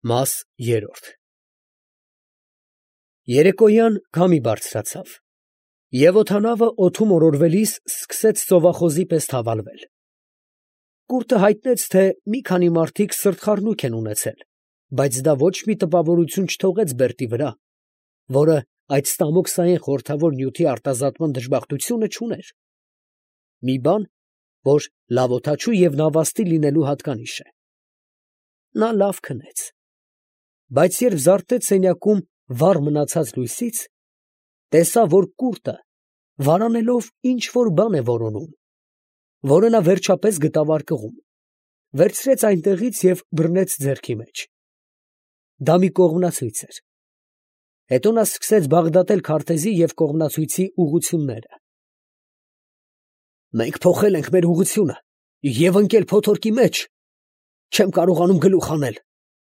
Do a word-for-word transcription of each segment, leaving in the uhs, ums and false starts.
Մաս երրորդ Երեկոյան քամի բարձրացավ, և օդանավը օդում օրորվելիս սկսեց ծովախոզի պես թավալվել. կուրտը հայտնեց, թե մի քանի մարդիկ սրտխառնուրդ են ունեցել, բայց դա ոչ մի տպավորություն չթողեց Բերտի վրա, որը այդ ստամոքսային խորհրդավոր նյութի արտազատման դժբախտությունը չուներ, մի բան, որ լավ օդաչու և նավաստի լինելու հատկանիշ է. նա լավ քնեց, բայց երբ զարթեց սենյակում վառ մնացած լույսից, տեսավ, որ կուրտը վարանելով ինչ֊որ բան է որոնում, որը նա վերջապես գտավ արկղում, վերցրեց այնտեղից և բռնեց ձեռքի մեջ. դա մի կողմնացույց էր. հետո նա սկսեց բաղդատել քարտեզի և կողմնացույցի ուղղությունները. «Մենք փոխել ենք մեր ուղղությունը և ընկել փոթորկի մեջ, չեմ կարողանում գլուխ հանել,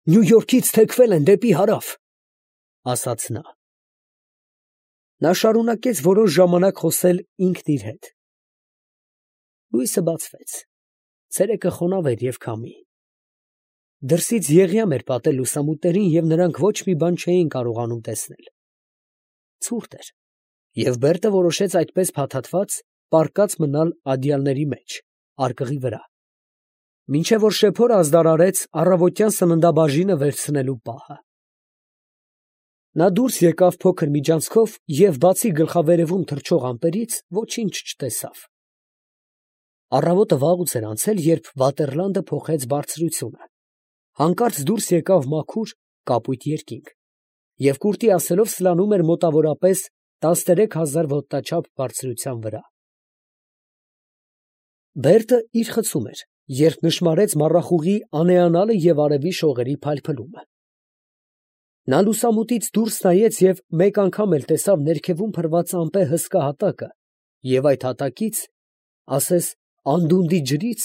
Նյու Յորքից թեքվել են դեպի հարավ», ֊ ասաց նա։ Նա շարունակեց որոշ ժամանակ խոսել ինքն իր հետ. լույսը բացվեց, ցերեկը խոնավ էր և քամի. դրսից եղյամ էր պատել լուսամուտներին, և նրանք ոչ մի բան չէին կարողանում տեսնել. ցուրտ էր, և Բերտը որոշեց այդպես փաթաթված պառկած մնալ ադյալների մեջ, արկղի վրա, մինչև որ շեփորը ազդարարեց առավոտյան սննդաբաժինը վերցնելու պահը. նա դուրս եկավ փոքր միջանցքով և բացի գլխավերևում թռչող ամպերից ոչինչ չտեսավ. առավոտը վաղուց էր անցել, երբ վատերլանդը փոխեց բարձրությունը, հանկարծ դուրս եկավ մաքուր, կապույտ երկինք, և կուրտի ասելով սլանում էր մոտավորապես տասներեք հազար ոտնաչափ բարձրության վրա։ Բերտը իր խցում էր, երբ նշմարեց մառախուղի անեանալը և արևի շողերի փայլփլումը. նա լուսամուտից դուրս նայեց և մեկ անգամ էլ տեսավ ներքևում փռված ամպե հսկա հատակը և այդ հատակից, ասես անդունդի ջրից,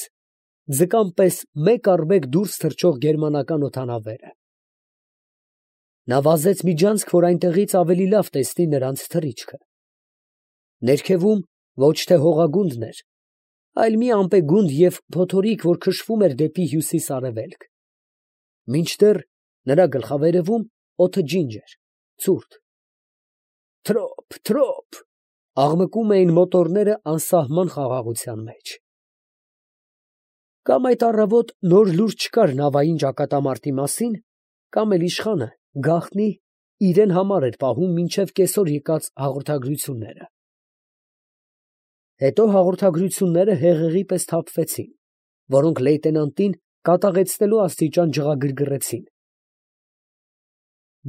ձկան պես մեկ առ մեկ դուրս թռչող գերմանական օդանավերը։ նա վազեց միջանցք, որ այնտեղից ավելի լավ տեսնի նրանց թռիչքը. ներքևում ոչ թե հողագունդն էր, այլ մի ամպեգունդ և փոթորիկ, որ քշվում էր դեպի հյուսիս֊արևելք, մինչդեռ նրա գլխավերևում օդը ջինջ էր, ցուրտ. «Թրոփ, թրոփ», աղմկում էին մոտորները անսահման խաղաղության մեջ։ Կամ այդ առավոտ նոր լուր չկար նավային ճակատամարտի մասին, կամ էլ իշխանը գաղտնի իրան համար էր պահում մինչև կեսօր եկած հաղորդագրությունները։ Հետո հաղորդագրությունները հեղեղի պես թափվեցին, որոնք լեյտենանտին կատաղեցնելու աստիճան ջղագրգռեցին.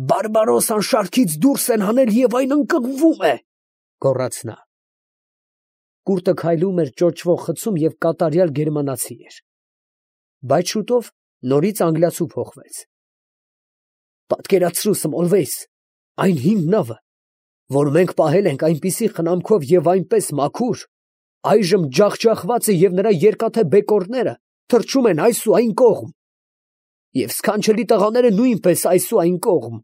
«Բարբարոսան շարքից դուրս են հանել և այն ընկղմվում է», ֊ գոռաց նա։ Կուրտը քայլում էր ճոճվող խցում և կատարյալ գերմանացի էր, բայց շուտով նորից անգլիացու փոխվեց. «Պատկերացրու, Սմոլվեյս, այն հին նավը, որ մենք պահել ենք այնպիսի խնամքով և այնպես մաքուր, այժմ ջախջախված է և նրա երկաթե բեկորները թռչում են այս ու այն կողմ, և սքանչելի տղաները նույնպես այս ու այն կողմ,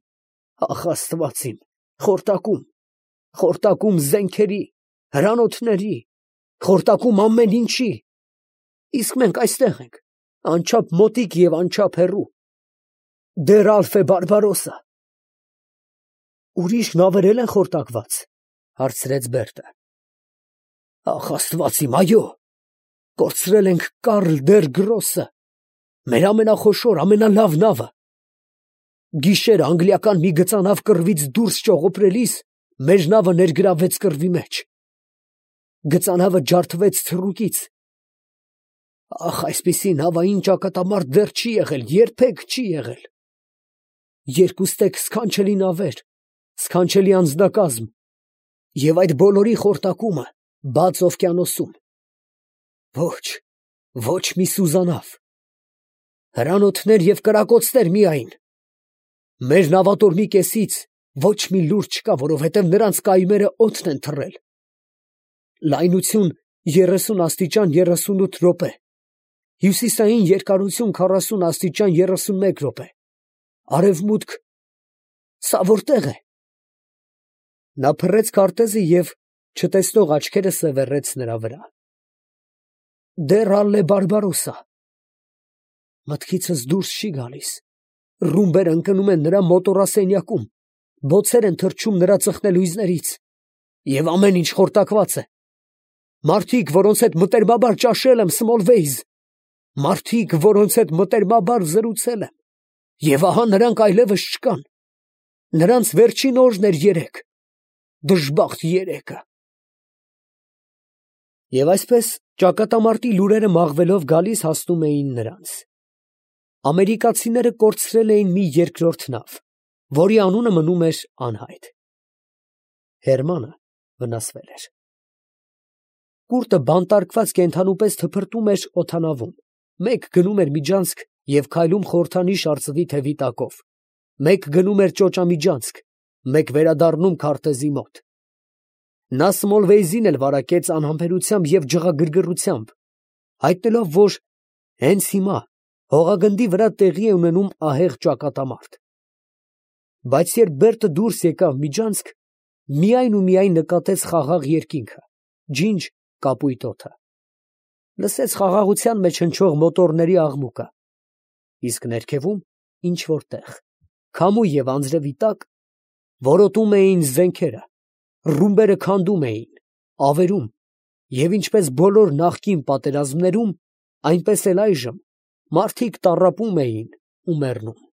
ախ, աստված իմ, խորտակում, խորտակում զենքերի, հրանոթների, խորտակում ամեն ինչի, իսկ մենք այստեղ ենք, անչափ մոտիկ և անչափ հեռու, դեռ Ալֆե Բարբարոսը»։ «Ուրիշ նավեր էլ են խորտակված, ֊ հարցրեց Բերտը։ ֊ Ախ, աստված իմ, այո, կորցրել ենք Կարլ դեր Գրոսը, մեր ամենախոշոր, ամենալավ նավը, գիշերը անգլիական մի գծանավ կռվից դուրս ճողոպրելիս մեր նավը ներգրավվեց կռվի մեջ, գծանավը ջարդվեց թռուկից, ախ, այսպիսի նավային ճակատամարտ դեռ չի եղել, երբեք չի եղել, երկուստեք սքանչելի նավեր, սքանչելի անձնակազմ, և այդ բոլորի խորտակումը բաց օվկիանոսում, ոչ, ոչ մի սուզանավ, հրանոթներ և կրակոցներ միայն, մեր նավատորմի կեսից ոչ մի լուր չկա, որովհետև նրանց կայմերը օդն են թռել, լայնություն երեսուն աստիճան երեսունութ րոպե, հյուսիսային երկարություն քառասուն աստիճան երեսունմեկ րոպե, արևմուտք, սա որտե՞ղ է։ Նա փռեց քարտեզը և չտեսնող աչքերը սևեռեց նրա վրա։ Դեռ Ալլե Բարբարոսա, մտքիցս դուրս չի գալիս, Ռումբերը ընկնում են նրա մոտորասենյակում, բոցեր են թռչում նրա ծխնելույզներից, և ամեն ինչ խորտակված է։ Մարդիկ, որոնց հետ մտերմաբար ճաշել եմ Սմոլվեյզ, մարդիկ, որոնց հետ մտերմաբար զրուցել եմ, և ահա նրանք այլևս չկան։ Նրանց վերջին օրն էր երեկ, դժբախտ երեկը։ Եվ այսպես ճակատամարտի լուրերը մաղվելով գալիս հասնում էին նրանց։ Ամերիկացիները կորցրել էին մի երկրորդ նավ, որի անունը մնում էր անհայտ։ Հերմանը վնասվել էր։ Կուրտը բանտարկված կենդանու պես թփրտում էր օդանավում, մեկ գնում էր միջանցք և քայլում խորհրդանիշ արծվի թևի տակով, մեկ գնում էր ճոճամիջանցք, մեկ վերադառնում քարտեզի մոտ։ Նա Սմոլվեյզին էլ վարակեց անհամբերությամբ և ջղագրգռությամբ, հայտնելով, որ հենց հիմա հողագնդի վրա տեղի է ունենում ահեղ ճակատամարտ։ Բայց երբ Բերտը դուրս եկավ միջանցք, միայն ու միայն նկատեց խաղաղ երկինքը, ջինջ կապույտ օդը, լսեց խաղաղության մեջ հնչող մոտորների աղմուկը, իսկ ներքևում ինչ֊որ տեղ, քամու և անձրևի տակ, որոտում էին զենքերը, ռումբերը քանդում էին, ավերում, և ինչպես բոլոր նախկին պատերազմներում, այնպես էլ այժմ մարդիկ տառապում էին ու մեռնում։